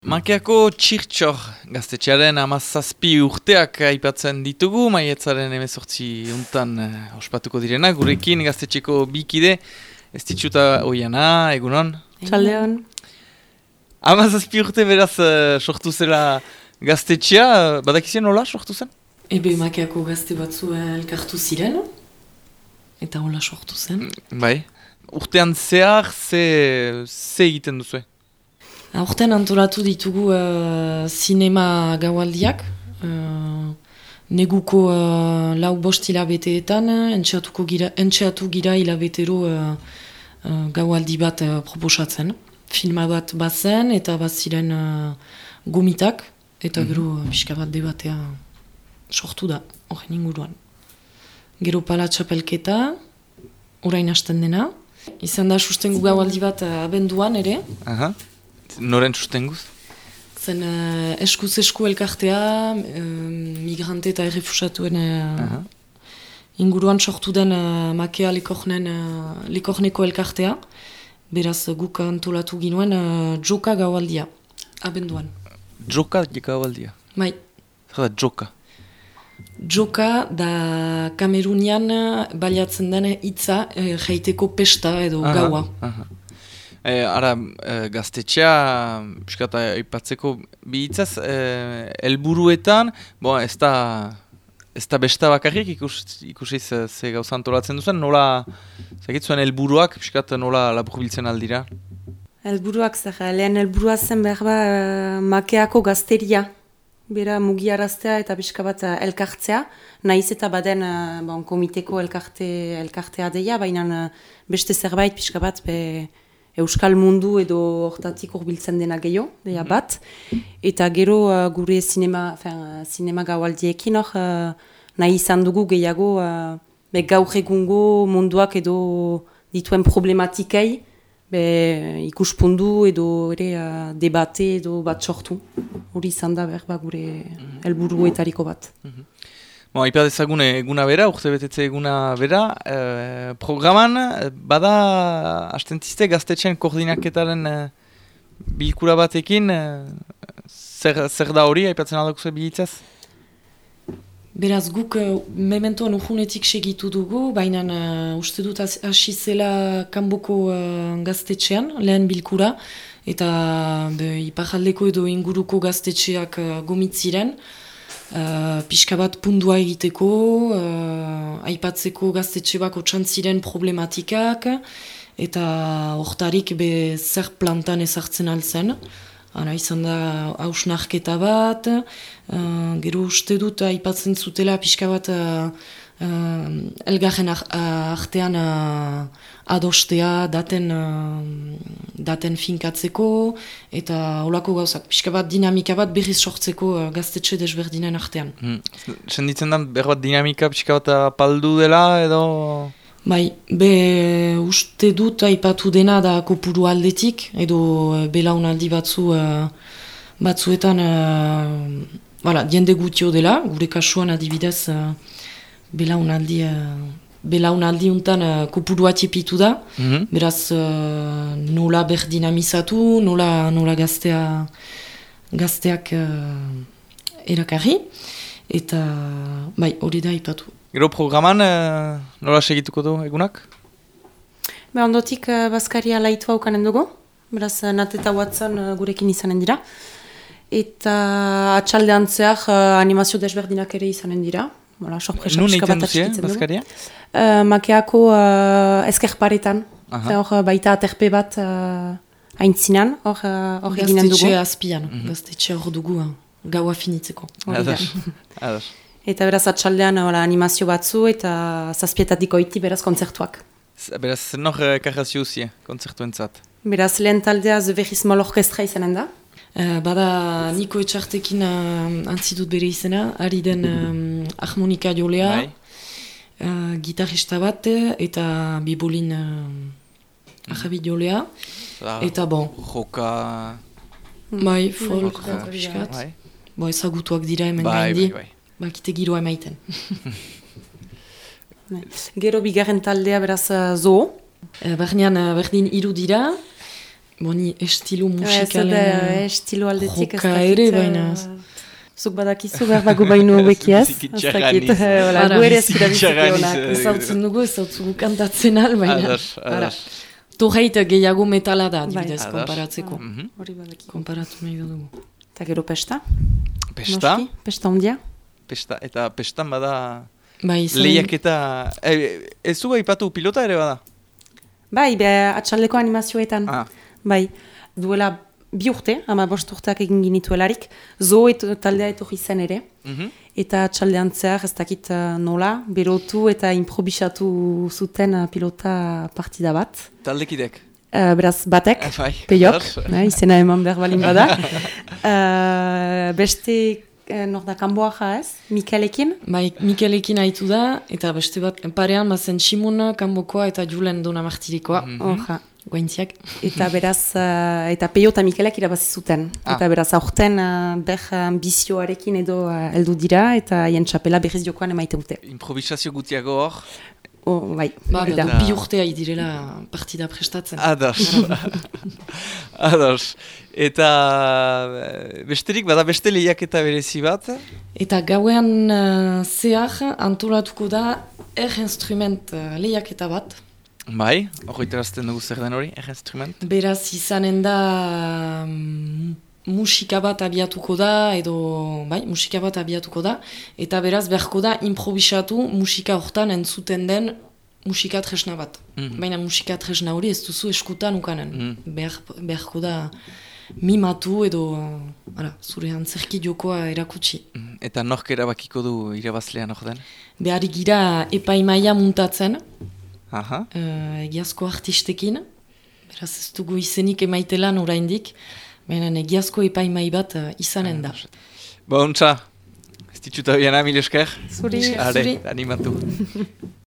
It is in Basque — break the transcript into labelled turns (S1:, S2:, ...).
S1: Makeako txirtxor gaztetxearen 17 urteak aipatzen ditugu, maietzaren 18 untan ospatuko direna, gurekin gaztetxeko bikide, ez ditxuta oiana, egunon?
S2: Txaldeon.
S1: 17 urte beraz sortu zela gaztetxea, badakizien nola sortu zen?
S2: Ebe makeako gazte batzu elkartu ziren, eta hola sortu zen.
S1: Bai, urtean zehar ze egiten duzu?
S2: Aurten antolatu ditugu zinema gaualdiak, neguko lau bost hilabeteetan, entxeatu gira hilabetero gaualdi bat proposatzen. Filma bat bazen eta baziren gomitak, eta gero pixka bat debatea sortu da, horren inguruan. Gero pala txapelketa, orain hasten dena. Izan da sustengu gaualdi bat abenduan ere.
S1: Aha. Noren sustenguz?
S2: Zen eskuz esku elkartea, migrante eta errefusatuen inguruan sortu den makea likorneko elkartea. Beraz guk antolatu ginuen joka gaualdia, abenduan.
S1: Joka gaualdia?
S2: Bai.
S1: Zer da joka?
S2: Joka da Kamerunian baliatzen den hitza jaiteko pesta edo gaua.
S1: Ara, gaztetxea, piskata aipatzeko bi hitzaz, helburuetan, ez da besta bakarrik ikusiz ze gauza antolatzen duzen, nola, zagitzuen helburuak, piskata nola laburbiltzen aldira?
S3: Helburuak lehen helburua zen behar makeako gazteria, bera mugiaraztea eta pixka bat elkartzea, nahiz eta baden komiteko elkartea deia, baina beste zerbait pixka bat Euskal mundu edo hortatik urbiltzen dena gehiago, deia bat. Eta gero gure zinema gaualdiekin nahi izan dugu gehiago gaur egungo munduak edo dituen problematikei ikuspundu edo ere debate edo bat sortu. Hori izan da gure helburuetariko bat.
S1: Ipa dezagun eguna bera, urte betetze eguna bera, programan bada hastentziste gaztetxean koordinaketaren bilkura batekin, zer da hori, aipatzen aldakuze bilitzaz?
S2: Beraz guk mementoan urhunetik segitu dugu, baina uste dut hasi zela kanboko gaztetxean, lehen bilkura, eta ipajaldeko edo inguruko gaztetxeak gomitziren, pixka bat pundua egiteko, aipatzeko gaztetxe bako txantziren problematikak, eta hortarik zer plantan ezartzen altzen. Ara izan da hausnarketa bat, gero uste dut aipatzen zutela pixka bat elgarren artean adostea daten finkatzeko, eta holako gauzak, pixka bat dinamika bat berriz sortzeko gaztetxe desberdinen artean.
S1: Senditzen da behar bat dinamika pixka bat apaldu dela edo?
S2: Bai, uste dut aipatu dena da kopuru aldetik, edo belaunaldi batzuetan jende gutio dela, gure kasuan adibidez belaunaldi untan kopurua tiepitu da, beraz nola berdinamizatu, nola gazteak erakarri, eta hori da aipatu.
S1: Gero programan nola segituko du egunak?
S3: Ondotik Baskaria laitua ukanen dugu, beraz Nateta Watson gurekin izanen dira. Eta atxaldean zehar animazio desberdinak ere izanen dira.
S1: Nun egiten duzien, Baskaria?
S3: Makeako ezkerparetan, baita aterpe bat haintzinan, hor eginen dugu.
S2: Gaztetxe azpian, gaztetxe hor dugu gaua finitzeko.
S1: Ados.
S3: Eta beraz atxaldean animazio batzu eta zazpietatik oiti beraz kontzertuak.
S1: Beraz, nor karrazio uzie, kontzertuentzat?
S3: Beraz, lehen taldea The Very Small Orchestra izanen da.
S2: Bada Niko Etxartekin antzidut bere izena, ari den harmonika jolea, gitarrista bat eta bibolin ahabi jolea. Eta
S1: Joka...
S2: Bai, folk, piskat. Ezagutuak dira hemen gaindi. Bakite giroa emaiten.
S3: Gero bigarren taldea beraz zoo.
S2: Bernean berdin 3 dira. Boni, estilo
S3: Ez
S2: musikalen...
S3: da, estilo aldetik ez
S2: joka
S3: dakit,
S2: ere, baina...
S3: Zuk badakizu behar bago baino beki ez?
S1: Biziki
S3: Ez dakit,
S1: txarraniz.
S3: gu ere ez
S1: Biziki
S3: dira biziki
S1: txarraniz,
S3: honak.
S2: Ezautzen dugu, ezautzugu kantatzen al, baina...
S1: Ados, ados.
S2: Torreit gehiago metala da, adibidez,
S1: Ados.
S2: konparatzeko.
S3: Hori badaki.
S2: Konparatu nahi dugu.
S3: Eta gero pesta?
S1: Pesta?
S3: Noski? Pesta ondia?
S1: Pesta, eta pestan bada
S2: Bai, izan...
S1: lehiaketa... Ez du aipatu pilota ere bada?
S3: Bai, atxaldeko animazioetan.
S1: Ah.
S3: Bai, duela 2 urte, 15 urteak egin ginituelarik, taldea etorri zen ere, eta atxaldean zehar ez dakit nola, berotu eta improvisatu zuten pilota partida bat.
S1: Taldekidek?
S3: Beraz, batek,
S1: Bai,
S3: peiok,
S1: bai.
S3: izena eman behar balin bada. Beste, nor da, Kanboaja ez, Mikelekin.
S2: Bai, Mikelekin haitu da, eta beste bat, parean bazen Simona, Kanbokoa eta Julen Dona Martirikoa.
S3: Oja.
S2: Guaintziak.
S3: Eta beraz, eta Peio eta Mikelek irabazi zuten. Eta beraz, aurten ambizioarekin edo heldu dira, eta hien txapela berriz jokoan emaite dute.
S1: Improvisazio gutiago hor?
S3: Bai, hori da.
S2: Bi urtea idirela partida prestatzen.
S1: Ados. Ados. Eta besterik, bada beste lehiaketa berezi bat?
S2: Eta gauean zehar antolatuko da instrument lehiaketa bat.
S1: Bai, hori terazten dugu zer den hori, instrument?
S2: Beraz izanen da musika bat abiatuko da, edo, bai, musika bat abiatuko da, eta beraz beharko da improvisatu musika hortan entzuten den musika tresna bat. Baina musika tresna hori ez duzu eskutan ukanen. Beharko da mimatu edo zure antzerki jokoa erakutsi.
S1: Eta nork erabakiko du irabazlean hor den?
S2: Behari gira epaimaia muntatzen, egiazko artistekin, beraz ez dugu izenik emaitelan oraindik, baina egiazko epaimai bat izanen da.
S1: Ba, ontsa, ez ditxuta biana, mil esker.
S3: Zuri.
S1: Are, animatu.